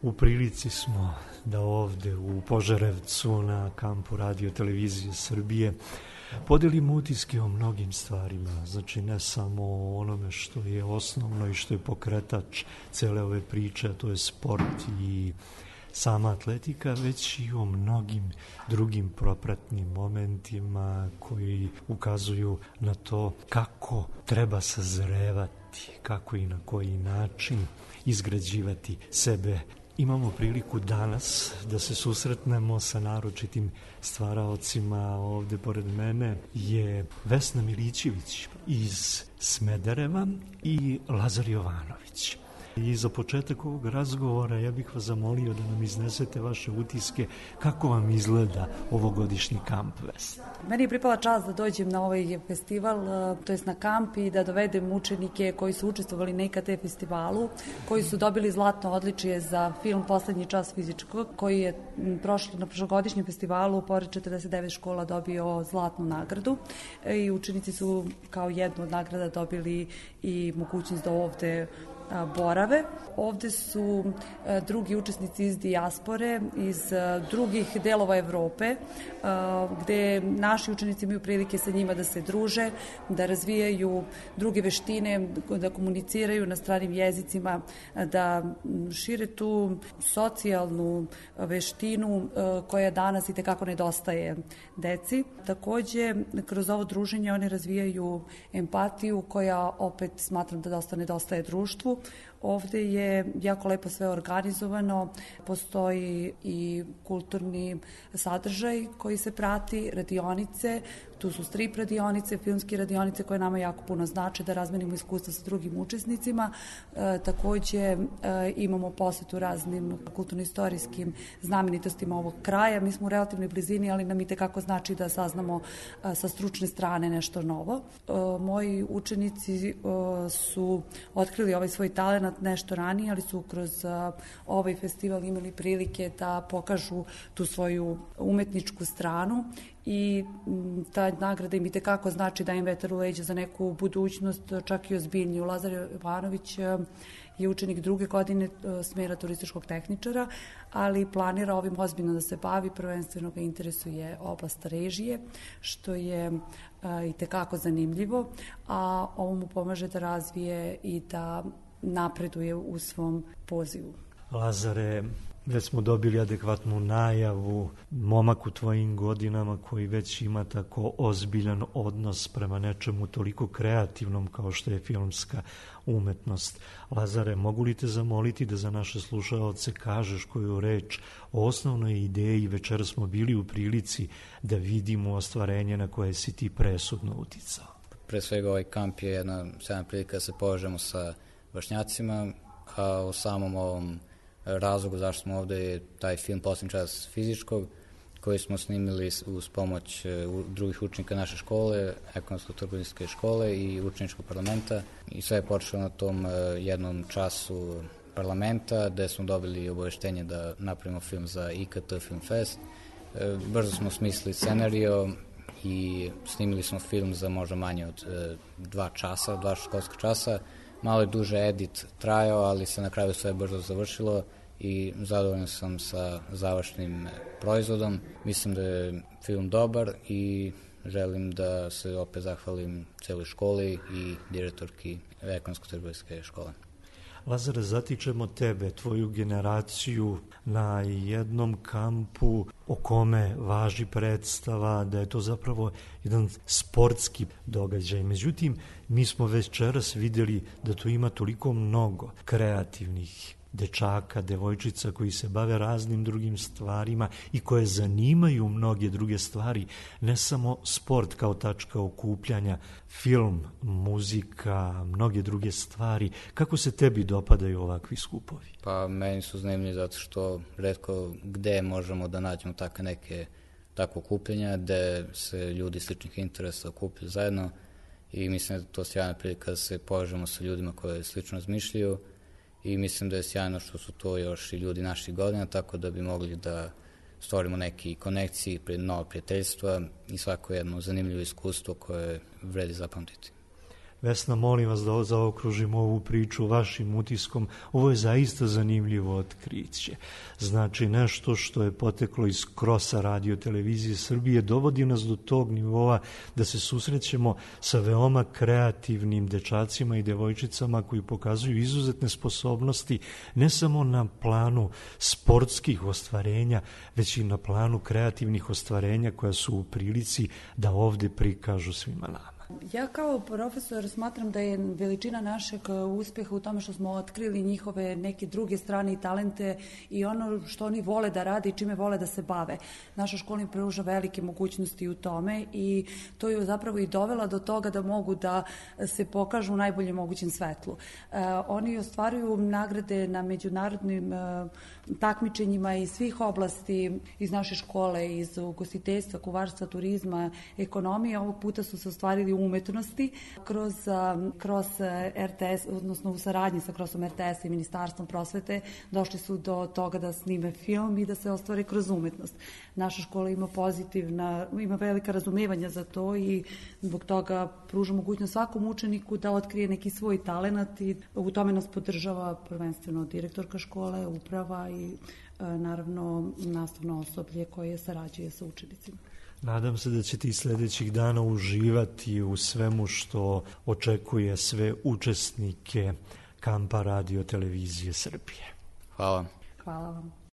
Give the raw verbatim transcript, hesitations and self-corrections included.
u prilici smo da ovde u Požarevcu na kampu Radio Televizije Srbije podelimo utiske o mnogim stvarima, znači ne samo o onome što je osnovno i što je pokretač cele ove priče, a to je sport i sama atletika, već i o mnogim drugim propratnim momentima koji ukazuju na to kako treba sazrevati, kako i na koji način izgrađivati sebe. Imamo priliku danas da se susretnemo sa naročitim stvaraocima. Ovde pored mene je Vesna Milićević iz Smedereva i Lazar Jovanović. I za početak ovog razgovora ja bih vas zamolio da nam iznesete vaše utiske kako vam izgleda ovogodišnji kamp, Vesna. Meni je pripala čast da dođem na ovaj festival, to jest na kamp, i da dovedem učenike koji su učestvovali na I K T festivalu, koji su dobili zlatno odličje za film Poslednji čas fizičkog, koji je prošlo, na prošlogodišnjem festivalu pored četrdeset devet škola dobio zlatnu nagradu i učenici su kao jednu od nagrada dobili i mogućnost da ovde borave. Ovde su drugi učesnici iz dijaspore, iz drugih delova Evrope, gde naši učenici imaju prilike sa njima da se druže, da razvijaju druge veštine, da komuniciraju na stranim jezicima, da šire tu socijalnu veštinu koja danas i tekako nedostaje deci. Takođe, kroz ovo druženje oni razvijaju empatiju koja opet smatram da dosta nedostaje društvu. Ovde je jako lepo sve organizovano, postoji i kulturni sadržaj koji se prati, radionice, tu su strip radionice, filmske radionice koje nama jako puno znače da razmenimo iskustva sa drugim učesnicima. E, takođe e, imamo posetu raznim kulturno-istorijskim znamenitostima ovog kraja. Mi smo u relativnoj blizini, ali nam i tekako znači da saznamo e, sa stručne strane nešto novo. E, moji učenici e, su otkrili ovaj svoj talenat nešto ranije, ali su kroz a, ovaj festival imali prilike da pokažu tu svoju umetničku stranu i m, ta nagrada im i tekako znači da im vetar u leđa za neku budućnost, čak i ozbiljniju. Lazar Jovanović a, je učenik druge godine a, smera turističkog tehničara, ali planira ovim ozbiljno da se bavi, prvenstveno ga interesuje oblast režije, što je a, i tekako zanimljivo, a ovo mu pomaže da razvije i da napreduje u svom pozivu. Lazare, već smo dobili adekvatnu najavu, momak u tvojim godinama koji već ima tako ozbiljan odnos prema nečemu toliko kreativnom kao što je filmska umetnost. Lazare, mogu li te zamoliti da za naše slušaoce kažeš koju reč o osnovnoj ideji? Večera smo bili u prilici da vidimo ostvarenje na koje si ti presudno uticao. Pre svega ovaj kamp je jedna sjajna prilika da se povežemo sa vršnjacima, a u samom ovom razlogu zašto smo ovde je taj film Poslednji čas fizičkog, koji smo snimili uz pomoć drugih učenika naše škole, ekonomsko-trgovinske škole i učeničkog parlamenta. I sve je počelo na tom jednom času parlamenta, gde smo dobili obaveštenje da napravimo film za I K T Film Fest. Brzo smo smislili scenario i snimili smo film za možda manje od dva časa, dva školska časa. Malo je duže edit trajao, ali se na kraju sve brzo završilo i zadovoljan sam sa završnim proizvodom. Mislim da je film dobar i želim da se opet zahvalim celoj školi i direktorki ekonomsko-trgovinske škole. Lazare, zatičemo tebe, tvoju generaciju na jednom kampu o kome važi predstava da je to zapravo jedan sportski događaj. Međutim, mi smo večeras videli da tu ima toliko mnogo kreativnih dečaka, devojčica koji se bave raznim drugim stvarima i koje zanimaju mnoge druge stvari, ne samo sport kao tačka okupljanja, film, muzika, mnoge druge stvari. Kako se tebi dopadaju ovakvi skupovi? Pa meni su zanimljivi zato što retko gde možemo da nađemo takve neke takve okupljanja, gde se ljudi sličnih interesa okupljaju zajedno i mislim da je to sjajna prilika da se povežemo sa ljudima koje slično razmišljaju. I mislim da je sjajno što su to još i ljudi naših godina, tako da bi mogli da stvorimo neke konekcije, nova prijateljstva i svako jedno zanimljivo iskustvo koje vredi zapamtiti. Vesna, molim vas da zaokružimo ovu priču vašim utiskom. Ovo je zaista zanimljivo otkriće. Znači, nešto što je poteklo iz krosa Radio Televizije Srbije dovodi nas do tog nivoa da se susrećemo sa veoma kreativnim dečacima i devojčicama koji pokazuju izuzetne sposobnosti ne samo na planu sportskih ostvarenja, već i na planu kreativnih ostvarenja koja su u prilici da ovde prikažu svima nama. Ja kao profesor smatram da je veličina našeg uspeha u tome što smo otkrili njihove neke druge strane i talente i ono što oni vole da rade i čime vole da se bave. Naša škola im pruža velike mogućnosti u tome i to je zapravo i dovela do toga da mogu da se pokažu u najboljem mogućem svetlu. E, oni ostvaruju nagrade na međunarodnim e, takmičenjima iz svih oblasti iz naše škole, iz ugostiteljstva, kuvarstva, turizma, ekonomije. Ovog puta su se ostvarili umetnosti kroz, kroz er te es, odnosno u saradnji sa krosom er te es i Ministarstvom prosvete došli su do toga da snime film i da se ostvare kroz umetnost. Naša škola ima pozitivna, ima velika razumevanja za to i zbog toga pruža mogućnost svakom učeniku da otkrije neki svoj talenat i u tome nas podržava prvenstveno direktorka škole, uprava i naravno nastavno osoblje koje sarađuje sa učenicima. Nadam se da ćete i sledećih dana uživati u svemu što očekuje sve učesnike kampa Radio Televizije Srbije. Hvala. Hvala vam.